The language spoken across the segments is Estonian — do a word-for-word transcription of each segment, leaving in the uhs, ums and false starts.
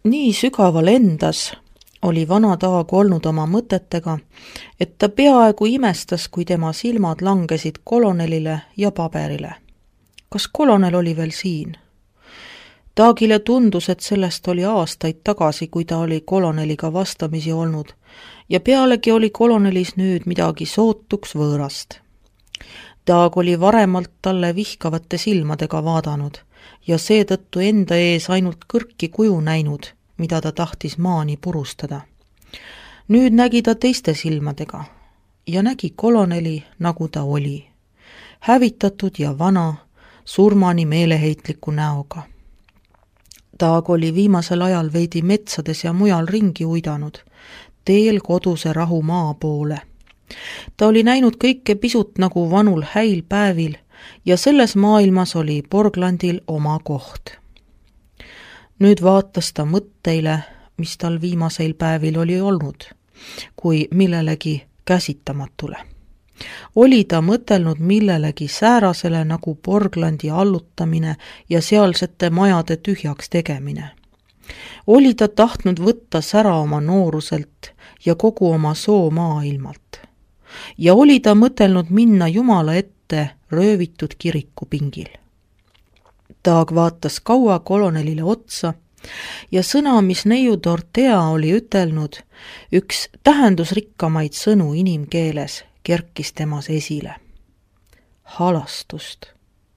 Nii sügaval endas oli vana Taag olnud oma mõtetega, et ta peaaegu imestas, kui tema silmad langesid kolonelile ja paberile. Kas kolonel oli veel siin? Taagile tundus, et sellest oli aastaid tagasi, kui ta oli koloneliga vastamisi olnud, ja pealegi oli kolonelis nüüd midagi sootuks võõrast. Taag oli varemalt talle vihkavate silmadega vaadanud ja seetõttu enda ees ainult kõrki kuju näinud, mida ta tahtis maani purustada. Nüüd nägi ta teiste silmadega ja nägi koloneli, nagu ta oli, hävitatud ja vana, surmani meeleheitliku näoga. Taag oli viimasel ajal veidi metsades ja mujal ringi uidanud, teel koduse rahu maa poole. Ta oli näinud kõike pisut nagu vanul häil päevil ja selles maailmas oli Porglandil oma koht. Nüüd vaatas ta mõtteile, mis tal viimaseil päevil oli olnud, kui millelegi käsitamatule. Oli ta mõtelnud millelegi säärasele nagu Porglandi allutamine ja sealsete majade tühjaks tegemine. Oli ta tahtnud võtta sära oma nooruselt ja kogu oma soo maailmalt. Ja oli ta mõtelnud minna Jumala ette röövitud kirikupingil. Taag vaatas kaua kolonelile otsa ja sõna, mis neiu Dorotea oli ütelnud, üks tähendusrikkamaid sõnu inimkeeles, kerkis temas esile. Halastust.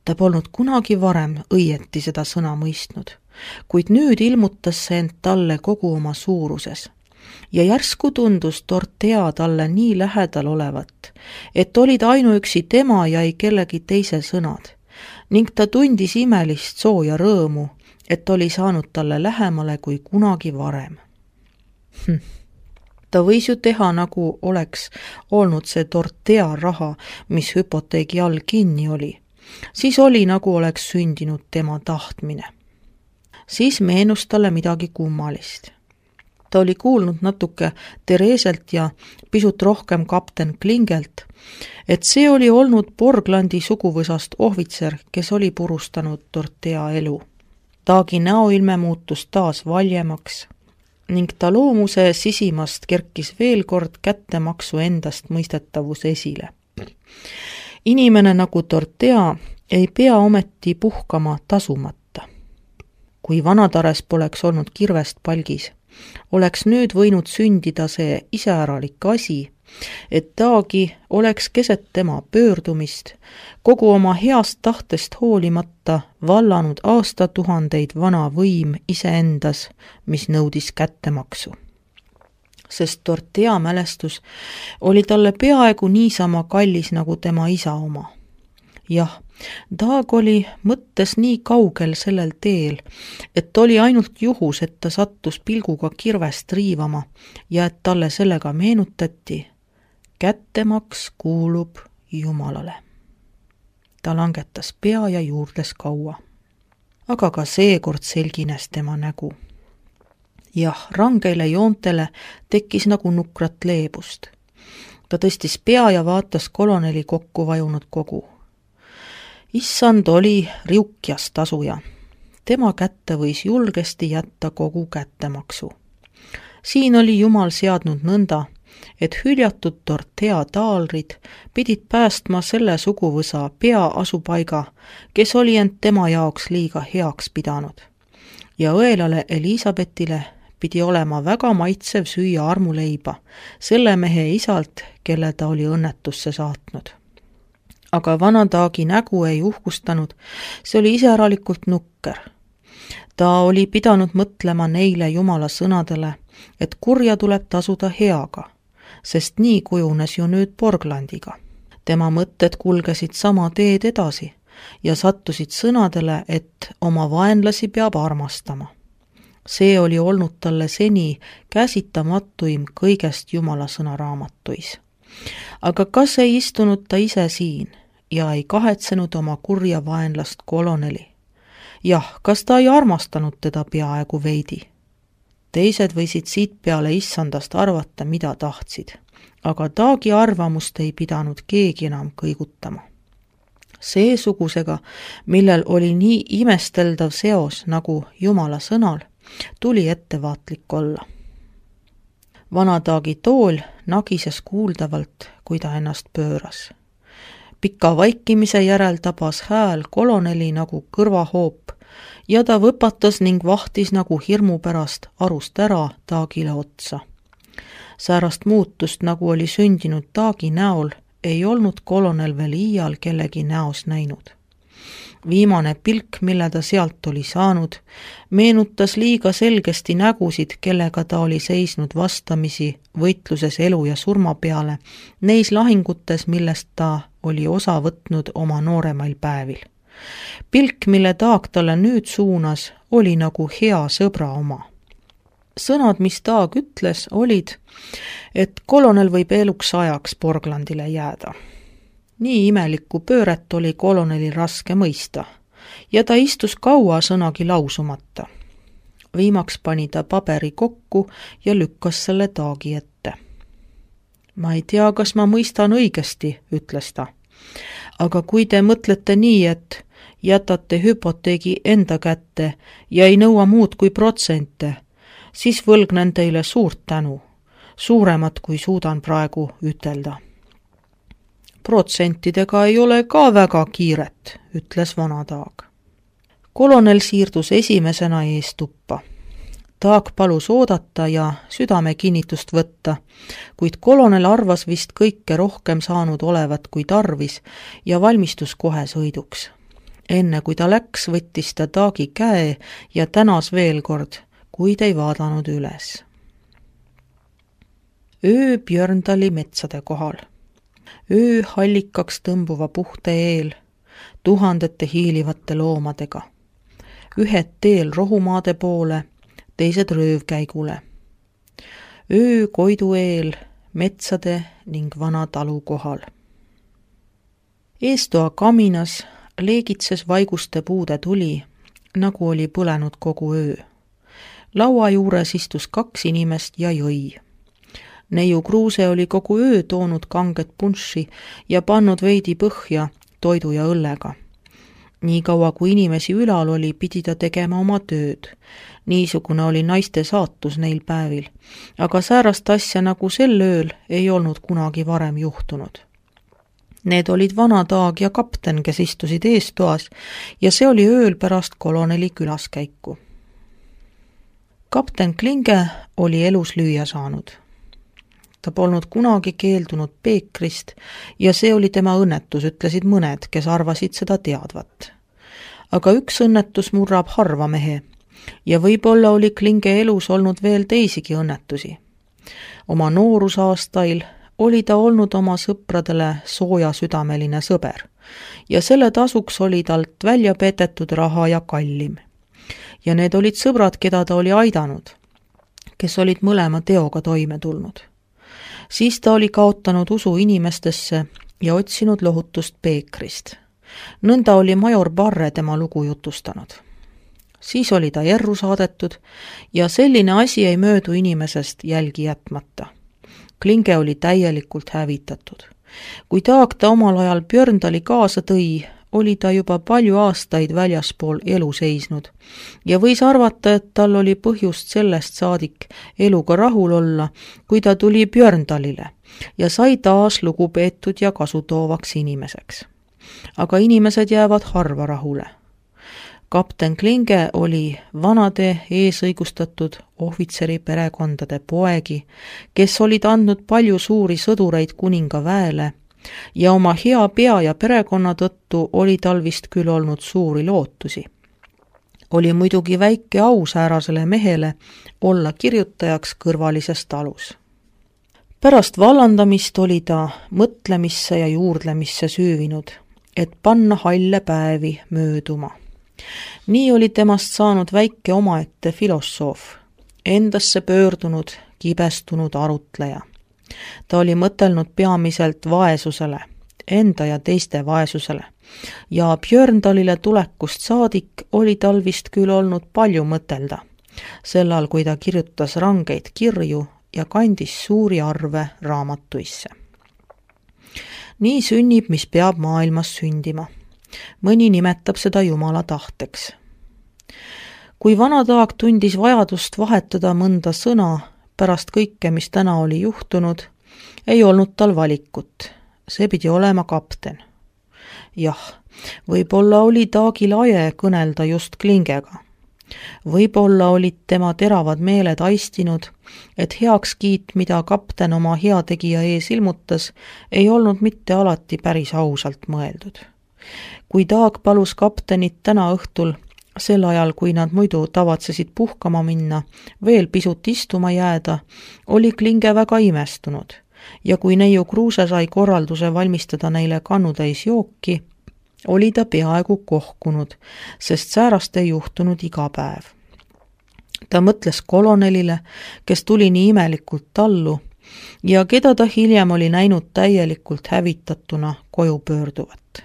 Ta polnud kunagi varem õieti seda sõna mõistnud, kuid nüüd ilmutas see end talle kogu oma suuruses. Ja järsku tundus Dorotea talle nii lähedal olevat, et olid ainuüksi tema ja ei kellegi teise sõnad, ning ta tundis imelist sooja rõõmu, et oli saanud talle lähemale kui kunagi varem. Hm. Ta võis ju teha, nagu oleks olnud see Dorotea raha, mis hüpoteegi all kinni oli. Siis oli, nagu oleks sündinud tema tahtmine. Siis meenus talle midagi kummalist. Ta oli kuulnud natuke Tereselt ja pisut rohkem kapten Klingelt, et see oli olnud Porglandi suguvõsast ohvitser, kes oli purustanud Dorotea elu. Taagi näoilme muutus taas valjemaks ning ta loomuse sisimast kerkis veel kord kättemaksu endast mõistetavus esile. Inimene nagu Dorotea ei pea ometi puhkama tasumata. Kui vanatares poleks olnud kirvest palgis, oleks nüüd võinud sündida see iseäralik asi, et Taagi oleks keset tema pöördumist, kogu oma heast tahtest hoolimata vallanud aastatuhandeid vana võim iseendas, mis nõudis kättemaksu. Sest Dorotea mälestus oli talle peaaegu niisama kallis nagu tema isa oma. Jah, Taag oli mõttes nii kaugel sellel teel, et oli ainult juhus, et ta sattus pilguga kirvest riivama ja et talle sellega meenutati, kättemaks kuulub Jumalale. Ta langetas pea ja juurdes kaua. Aga ka seekord selgines tema nägu. Jah, rangeile joontele tekkis nagu nukrat leebust. Ta tõstis pea ja vaatas koloneli kokku vajunud kogu. Issand oli riukjas tasuja. Tema kätte võis julgesti jätta kogu kättemaksu. Siin oli Jumal seadnud nõnda, et hüljatud Dorotea taalrid pidid päästma selle suguvõsa pea asupaiga, kes oli end tema jaoks liiga heaks pidanud. Ja õelale Elisabetile pidi olema väga maitsev süüa armuleiba selle mehe isalt, kelle ta oli õnnetusse saatnud. Aga vana Taagi nägu ei uhkustanud, see oli iseäralikult nukker. Ta oli pidanud mõtlema neile Jumala sõnadele, et kurja tuleb tasuda heaga, sest nii kujunes ju nüüd Porglandiga. Tema mõtted kulgesid sama teed edasi ja sattusid sõnadele, et oma vaenlasi peab armastama. See oli olnud talle seni käsitamatuim kõigest Jumala sõnaraamatuis. Aga kas ei istunud ta ise siin ja ei kahetsenud oma kurja vaenlast koloneli? Jah, kas ta ei armastanud teda peaaegu veidi? Teised võisid siit peale issandast arvata, mida tahtsid, aga Taagi arvamust ei pidanud keegi enam kõigutama. Seesugusega, millel oli nii imesteldav seos nagu Jumala sõnal, tuli ettevaatlik olla. Vanataagi tool nagises kuuldavalt, kui ta ennast pööras. Pika vaikimise järel tabas hääl koloneli nagu kõrvahoop ja ta võpatas ning vahtis nagu hirmu pärast arust ära Taagile otsa. Säärast muutust, nagu oli sündinud Taagi näol, ei olnud kolonel veel iial kellegi näos näinud. Viimane pilk, mille ta sealt oli saanud, meenutas liiga selgesti nägusid, kellega ta oli seisnud vastamisi võitluses elu ja surma peale, neis lahingutes, millest ta oli osa võtnud oma nooremail päevil. Pilk, mille Taag talle nüüd suunas, oli nagu hea sõbra oma. Sõnad, mis Taag ütles, olid, et kolonel võib eluks ajaks Porglandile jääda. Nii imelikku pööret oli kolonelil raske mõista ja ta istus kaua sõnagi lausumata. Viimaks pani ta paberi kokku ja lükkas selle Taagi ette. Ma ei tea, kas ma mõistan õigesti, ütles ta. Aga kui te mõtlete nii, et jätate hüpoteegi enda kätte ja ei nõua muud kui protsente, siis võlgnen teile suurt tänu, suuremat kui suudan praegu ütelda. Protsentidega ei ole ka väga kiiret, ütles vana Taag. Kolonel siirdus esimesena ees tuppa. Taag palus oodata ja südame kinnitust võtta, kuid kolonel arvas vist kõike rohkem saanud olevat kui tarvis ja valmistus kohe sõiduks. Enne kui ta läks, võttis ta Taagi käe ja tänas veel kord, kuid ei vaadanud üles. Öö Björndali metsade kohal. Öö hallikaks tõmbuva puhte eel, tuhandete hiilivate loomadega. Ühed teel rohumaade poole, teised röövkäigule. Öö Koidu eel, metsade ning vana talu kohal. Eestoa kaminas leegitses vaiguste puude tuli, nagu oli põlenud kogu öö. Laua juures istus kaks inimest ja jõi. Neiu Kruuse oli kogu öö toonud kanget punši ja pannud veidi põhja toidu ja õllega. Nii kaua kui inimesi ülal oli, pidi ta tegema oma tööd. Niisugune oli naiste saatus neil päevil, aga säärast asja nagu sel ööl ei olnud kunagi varem juhtunud. Need olid vana Taag ja kapten, kes istusid eestoas ja see oli ööl pärast koloneli külaskäiku. Kapten Klinge oli elus lüüa saanud. Ta polnud kunagi keeldunud peekrist ja see oli tema õnnetus, ütlesid mõned, kes arvasid seda teadvat. Aga üks õnnetus murrab harva mehe ja võib-olla oli Klinge elus olnud veel teisigi õnnetusi. Oma noorusaastail oli ta olnud oma sõpradele sooja südameline sõber ja selle tasuks oli talt välja petetud raha ja kallim. Ja need olid sõbrad, keda ta oli aidanud, kes olid mõlema teoga toime tulnud. Siis ta oli kaotanud usu inimestesse ja otsinud lohutust peekrist. Nõnda oli major Barre tema lugu jutustanud. Siis oli ta erru saadetud ja selline asi ei möödu inimesest jälgi jätmata. Klinge oli täielikult hävitatud. Kui Taag ta omal ajal Björndali kaasa tõi, oli ta juba palju aastaid väljaspool elu seisnud ja võis arvata, et tal oli põhjust sellest saadik eluga rahul olla, kui ta tuli Björndalile ja sai taas lugupeetud ja kasutoovaks inimeseks. Aga inimesed jäävad harva rahule. Kapten Klinge oli vanade eesõigustatud ohvitseri perekondade poegi, kes olid andnud palju suuri sõdureid kuninga väele ja oma hea pea ja perekonna tõttu oli tal vist küll olnud suuri lootusi. Oli muidugi väike au säärasele mehele olla kirjutajaks kõrvalises talus. Pärast vallandamist oli ta mõtlemisse ja juurdlemisse süüvinud, et panna halle päevi mööduma. Nii oli temast saanud väike omaette filosoof, endasse pöördunud, kibestunud arutleja. Ta oli mõtelnud peamiselt vaesusele, enda ja teiste vaesusele, ja Björndalile tulekust saadik oli tal vist küll olnud palju mõtelda, sellal kui ta kirjutas rangeid kirju ja kandis suuri arve raamatuisse. Nii sünnib, mis peab maailmas sündima. Mõni nimetab seda Jumala tahteks. kui vana Taag tundis vajadust vahetada mõnda sõna pärast kõike, mis täna oli juhtunud, ei olnud tal valikut. See pidi olema kapten. Jah, võib-olla oli Taagil aje kõnelda just Klingega. Võib-olla olid tema teravad meeled aistinud, et heakskiit, mida kapten oma heategija ees ilmutas, ei olnud mitte alati päris ausalt mõeldud. Kui Taag palus kaptenit täna õhtul, sel ajal, kui nad muidu tavatsesid puhkama minna, veel pisut istuma jääda, oli Klinge väga imestunud ja kui neiu Kruuse sai korralduse valmistada neile kannutäis jooki, oli ta peaaegu kohkunud, sest säärast ei juhtunud iga päev. Ta mõtles kolonelile, kes tuli nii imelikult tallu ja keda ta hiljem oli näinud täielikult hävitatuna koju pöörduvat.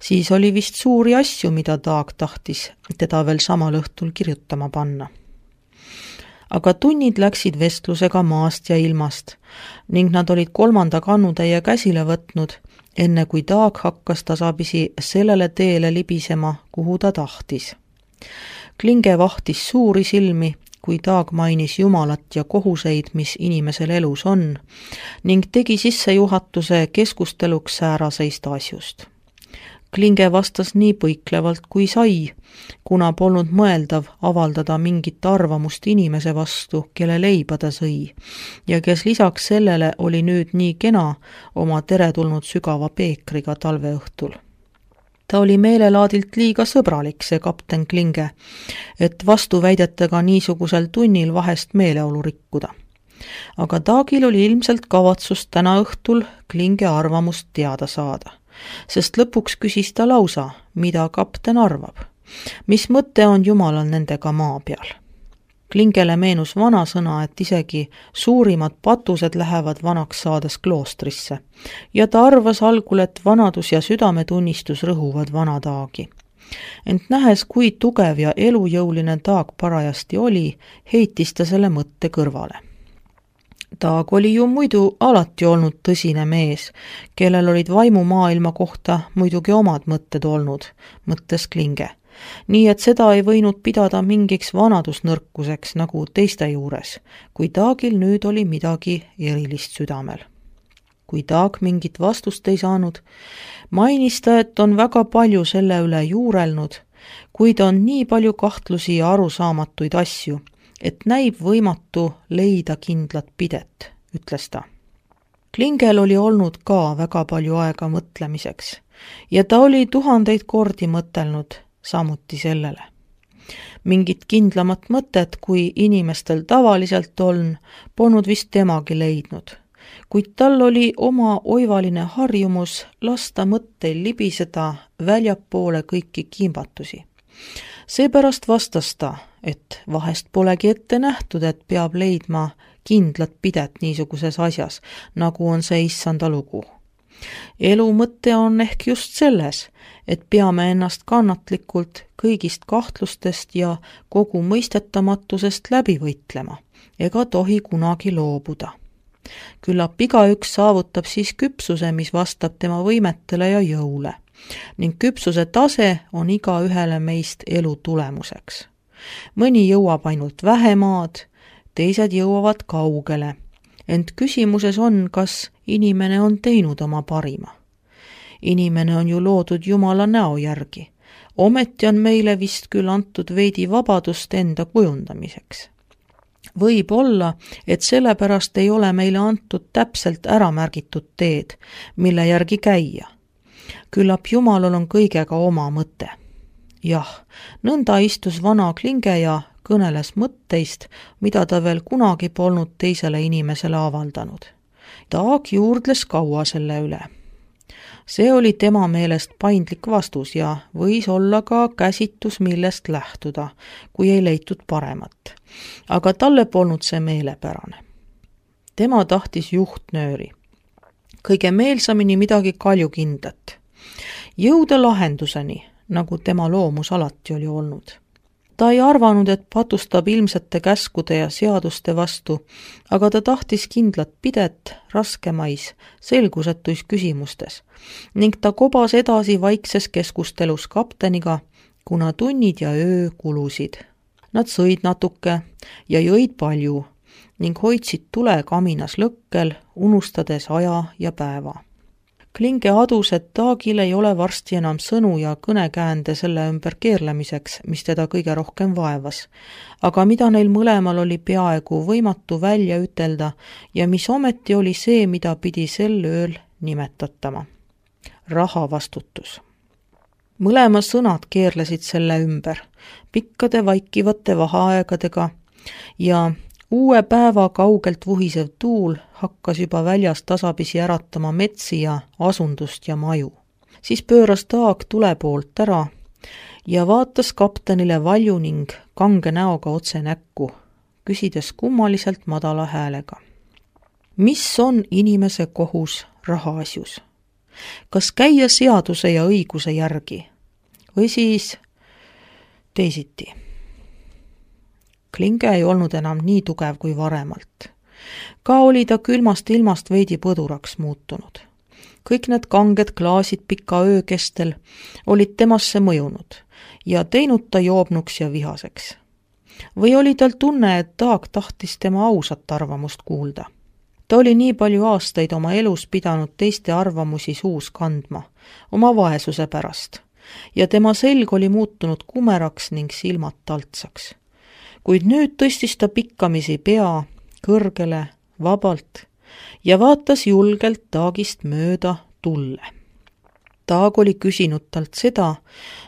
Siis oli vist suuri asju, mida Taag tahtis teda veel samal õhtul kirjutama panna. Aga tunnid läksid vestlusega maast ja ilmast ning nad olid kolmanda kannutäie käsile võtnud, enne kui Taag hakkas tasapisi sellele teele libisema, kuhu ta tahtis. Klinge vahtis suuri silmi, kui Taag mainis Jumalat ja kohuseid, mis inimesel elus on, ning tegi sissejuhatuse keskusteluks sääraseist asjust. Klinge vastas nii põiklevalt kui sai, kuna polnud mõeldav avaldada mingit arvamust inimese vastu, kelle leiba ta sõi, ja kes lisaks sellele oli nüüd nii kena oma teretulnud sügava peekriga talveõhtul. Ta oli meelelaadilt liiga sõbralik, see kapten Klinge, et vastuväidetega niisugusel tunnil vahest meeleolu rikkuda. Aga Taagil oli ilmselt kavatsus täna õhtul Klinge arvamust teada saada. Sest lõpuks küsis ta lausa, mida kapten arvab, mis mõte on Jumalal nendega maa peal. Klingele meenus vana sõna, et isegi suurimad patused lähevad vanaks saades kloostrisse ja ta arvas algul, et vanadus ja südametunnistus rõhuvad vana Taagi. Ent nähes, kui tugev ja elujõuline Taag parajasti oli, heitis ta selle mõtte kõrvale. Taag oli ju muidu alati olnud tõsine mees, kellel olid vaimumaailma kohta muidugi omad mõtted olnud, mõttes Klinge. Nii et seda ei võinud pidada mingiks vanadusnõrkuseks nagu teiste juures, kui Taagil nüüd oli midagi erilist südamel. Kui Taag mingit vastust ei saanud, mainis ta, et on väga palju selle üle juurelnud, kuid on nii palju kahtlusi ja arusaamatuid asju, et näib võimatu leida kindlat pidet, ütles ta. Klingel oli olnud ka väga palju aega mõtlemiseks ja ta oli tuhandeid kordi mõtelnud samuti sellele. Mingit kindlamat mõtet, kui inimestel tavaliselt on, polnud vist temagi leidnud, kuid tal oli oma oivaline harjumus lasta mõtteil libiseda väljapoole kõiki kimbatusi. Seepärast vastas ta, et vahest polegi ette nähtud, et peab leidma kindlat pidet niisuguses asjas, nagu on see issanda lugu. Elu mõte on ehk just selles, et peame ennast kannatlikult kõigist kahtlustest ja kogu mõistetamatusest läbi võitlema, ega tohi kunagi loobuda. Küllap igaüks saavutab siis küpsuse, mis vastab tema võimetele ja jõule, ning küpsuse tase on iga ühele meist elu tulemuseks. Mõni jõuab ainult vähemaad, teised jõuavad kaugele, ent küsimuses on, kas inimene on teinud oma parima. Inimene on ju loodud Jumala näo järgi, ometi on meile vist küll antud veidi vabadust enda kujundamiseks. Võib olla, et sellepärast ei ole meile antud täpselt ära märgitud teed, mille järgi käia. Küllap Jumalal on kõigega oma mõte. Jah, nõnda istus vana Klinge ja kõneles mõtteist, mida ta veel kunagi polnud teisele inimesele avaldanud. Taag juurdles kaua selle üle. See oli tema meelest paindlik vastus ja võis olla ka käsitus, millest lähtuda, kui ei leitud paremat. Aga talle polnud see meelepärane. Tema tahtis juhtnööri. Kõige meelsamini midagi kaljukindlat. Jõuda lahenduseni, nagu tema loomus alati oli olnud. Ta ei arvanud, et patustab ilmsete käskude ja seaduste vastu, aga ta tahtis kindlat pidet raskemais, selgusetuis küsimustes ning ta kobas edasi vaikses keskustelus kapteniga, kuna tunnid ja öö kulusid. Nad sõid natuke ja jõid palju ning hoidsid tule kaminas lõkkel, unustades aja ja päeva. Klinge adus, et Taagil ei ole varsti enam sõnu ja kõnekäände selle ümber keerlemiseks, mis teda kõige rohkem vaevas, aga mida neil mõlemal oli peaaegu võimatu välja ütelda ja mis ometi oli see, mida pidi sel ööl nimetatama. Raha vastutus. Mõlema sõnad keerlesid selle ümber, pikkade vaikivate vaheaegadega ja uue päeva kaugelt vuhisev tuul hakkas juba väljas tasapisi äratama metsi ja asundust ja maju. Siis pööras Taag tule poolt ära ja vaatas kaptenile valju ning kange näoga otse näkku, küsides kummaliselt madala häälega. Mis on inimese kohus rahaasjus? Kas käia seaduse ja õiguse järgi või siis teisiti? Klinge ei olnud enam nii tugev kui varemalt. Ka oli ta külmast ilmast veidi põduraks muutunud. Kõik need kanged klaasid pika öö kestel olid temasse mõjunud ja teinud ta joobnuks ja vihaseks. Või oli tal tunne, et Taag tahtis tema ausat arvamust kuulda. Ta oli nii palju aastaid oma elus pidanud teiste arvamusi suus kandma, oma vaesuse pärast, ja tema selg oli muutunud kumeraks ning silmad taltsaks. Kuid nüüd tõstis ta pikkamisi pea kõrgele, vabalt ja vaatas julgelt Taagist mööda tulle. Taag oli küsinud talt seda,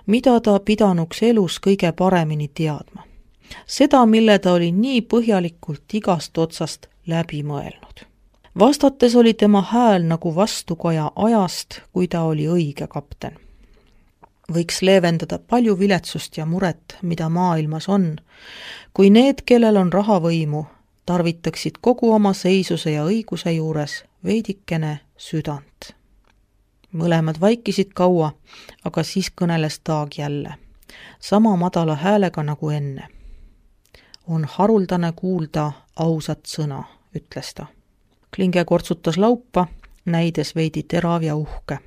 mida ta pidanuks elus kõige paremini teadma. Seda, mille ta oli nii põhjalikult igast otsast läbi mõelnud. Vastates oli tema hääl nagu vastukoja ajast, kui ta oli õige kapten. Võiks leevendada palju viletsust ja muret, mida maailmas on, kui need, kellel on rahavõimu, tarvitaksid kogu oma seisuse ja õiguse juures veidikene südant. Mõlemad vaikisid kaua, aga siis kõneles Taag jälle, sama madala häälega nagu enne. On haruldane kuulda ausat sõna, ütles ta. Klinge kortsutas laupa, näides veidi terav ja uhke.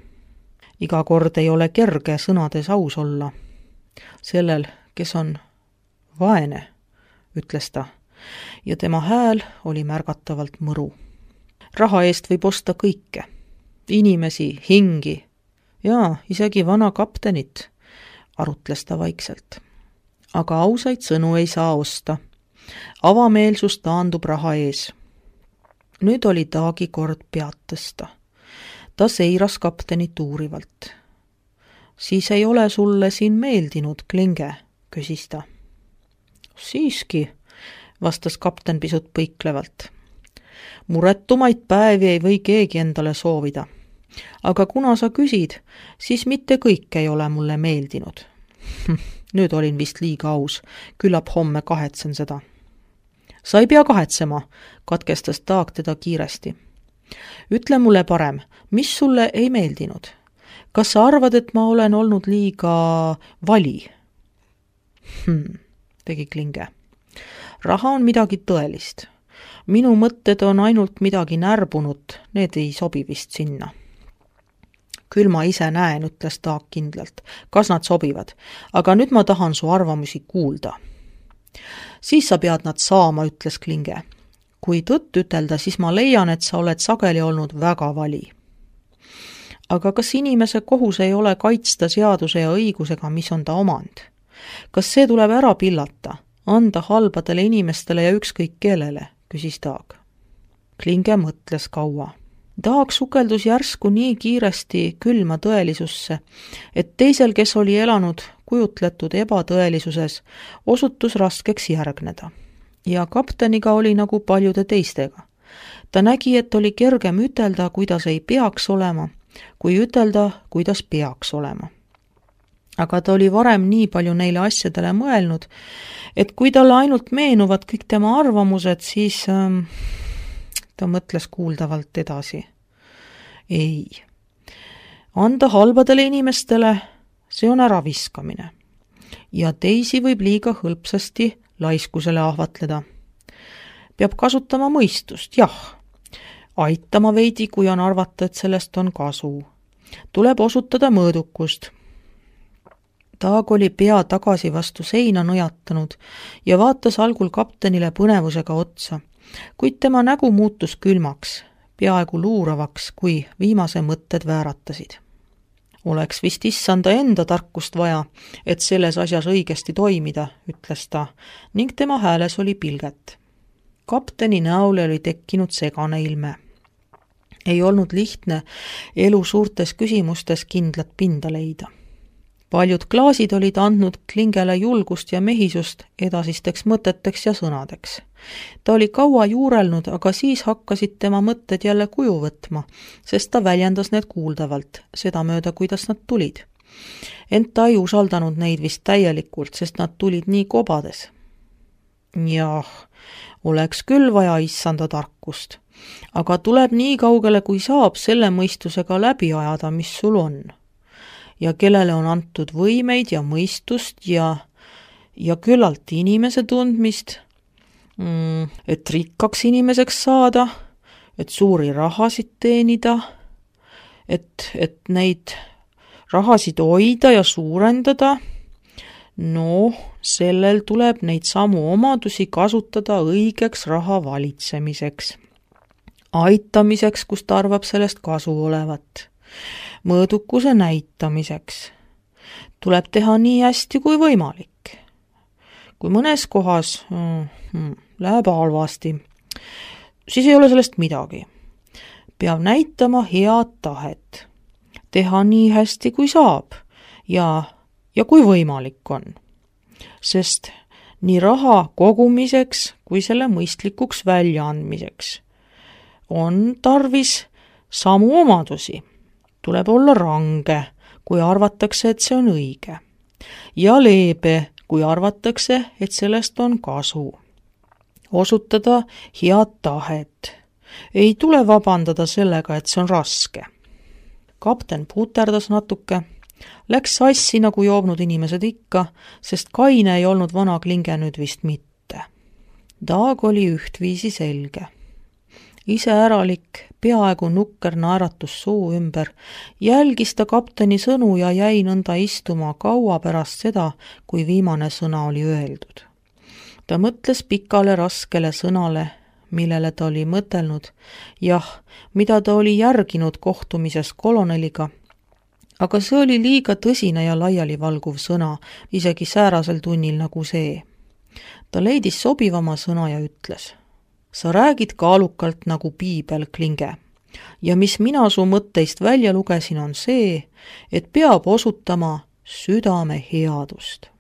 Iga kord ei ole kerge sõnades aus olla. Sellel, kes on vaene, ütles ta, ja tema hääl oli märgatavalt mõru. Raha eest võib osta kõike. Inimesi, hingi ja isegi vana kaptenit, arutles ta vaikselt. Aga ausaid sõnu ei saa osta. Avameelsus taandub raha ees. Nüüd oli Taagi kord pead tõsta. Ta seiras kaptenit uurivalt. Siis ei ole sulle siin meeldinud, Klinge, küsis ta. Siiski, vastas kapten pisut põiklevalt. Muretumaid päevi ei või keegi endale soovida. Aga kuna sa küsid, siis mitte kõik ei ole mulle meeldinud. Nüüd olin vist liiga aus, küllap homme kahetsen seda. Sa ei pea kahetsema, katkestas Taag teda kiiresti. Ütle mulle parem, mis sulle ei meeldinud? Kas sa arvad, et ma olen olnud liiga vali? Hmm, tegi Klinge. Raha on midagi tõelist. Minu mõtted on ainult midagi närbunud, need ei sobi vist sinna. Küll ma ise näen, ütles Taag kindlalt, kas nad sobivad, aga nüüd ma tahan su arvamusi kuulda. Siis sa pead nad saama, ütles Klinge. Kui tõtt ütelda, siis ma leian, et sa oled sageli olnud väga vali. Aga kas inimese kohus ei ole kaitsta seaduse ja õigusega, mis on ta omand? Kas see tuleb ära pillata, anda halbadele inimestele ja ükskõik kellele, küsis Taag. Klinge mõtles kaua. Taag sukeldus järsku nii kiiresti külma tõelisusse, et teisel, kes oli elanud kujutletud ebatõelisuses, osutus raskeks järgneda. Ja kapteniga oli nagu paljude teistega. Ta nägi, et oli kergem ütelda, kuidas ei peaks olema, kui ütelda, kuidas peaks olema. Aga ta oli varem nii palju neile asjadele mõelnud, et kui talle ainult meenuvad kõik tema arvamused, siis ähm, ta mõtles kuuldavalt edasi. Ei. Anda halbadele inimestele, see on äraviskamine. Ja teisi võib liiga hõlpsasti laiskusele ahvatleda. Peab kasutama mõistust, jah. Aitama veidi, kui on arvata, et sellest on kasu. Tuleb osutada mõõdukust. Taag oli pea tagasi vastu seina nõjatanud ja vaatas algul kaptenile põnevusega otsa, kuid tema nägu muutus külmaks, peaaegu luuravaks, kui viimase mõtted vääratasid. Oleks vist issanda enda tarkust vaja, et selles asjas õigesti toimida, ütles ta, ning tema hääles oli pilget. Kapteni näole oli tekkinud segane ilme. Ei olnud lihtne elu suurtes küsimustes kindlat pinda leida. Paljud klaasid olid andnud Klingele julgust ja mehisust edasisteks mõteteks ja sõnadeks. Ta oli kaua juurelnud, aga siis hakkasid tema mõtted jälle kuju võtma, sest ta väljendas need kuuldavalt, seda mööda, kuidas nad tulid. Ent ta ei usaldanud neid vist täielikult, sest nad tulid nii kobades. Jah, oleks küll vaja issanda tarkust, aga tuleb nii kaugele, kui saab selle mõistusega läbi ajada, mis sul on. Ja kellele on antud võimeid ja mõistust ja, ja küllalt inimese tundmist, mm, et rikkaks inimeseks saada, et suuri rahasid teenida, et, et neid rahasid hoida ja suurendada. No, sellel tuleb neid samu omadusi kasutada õigeks raha valitsemiseks, aitamiseks, kus ta arvab sellest kasu olevat. Mõõdukuse näitamiseks. Tuleb teha nii hästi kui võimalik. Kui mõnes kohas mm, läheb halvasti, siis ei ole sellest midagi. Peab näitama head tahet. Teha nii hästi kui saab ja, ja kui võimalik on. Sest nii raha kogumiseks kui selle mõistlikuks väljaandmiseks on tarvis samu omadusi. Tuleb olla range, kui arvatakse, et see on õige. Ja leebe, kui arvatakse, et sellest on kasu. Osutada head tahet. Ei tule vabandada sellega, et see on raske. Kapten puterdas natuke. Läks sassi nagu joobnud inimesed ikka, sest kaine ei olnud vana Klinge nüüd vist mitte. Taag oli ühtviisi selge. Iseäralik, peaaegu nukker naeratus suu ümber, jälgis ta kapteni sõnu ja jäi nõnda istuma kaua pärast seda, kui viimane sõna oli öeldud. Ta mõtles pikale raskele sõnale, millele ta oli mõtelnud, jah, mida ta oli järginud kohtumises koloneliga, aga see oli liiga tõsine ja laialivalguv sõna, isegi säärasel tunnil nagu see. Ta leidis sobivama sõna ja ütles: sa räägid kaalukalt nagu piibel, Klinge. Ja mis mina su mõtteist välja lugesin, on see, et peab osutama südame headust.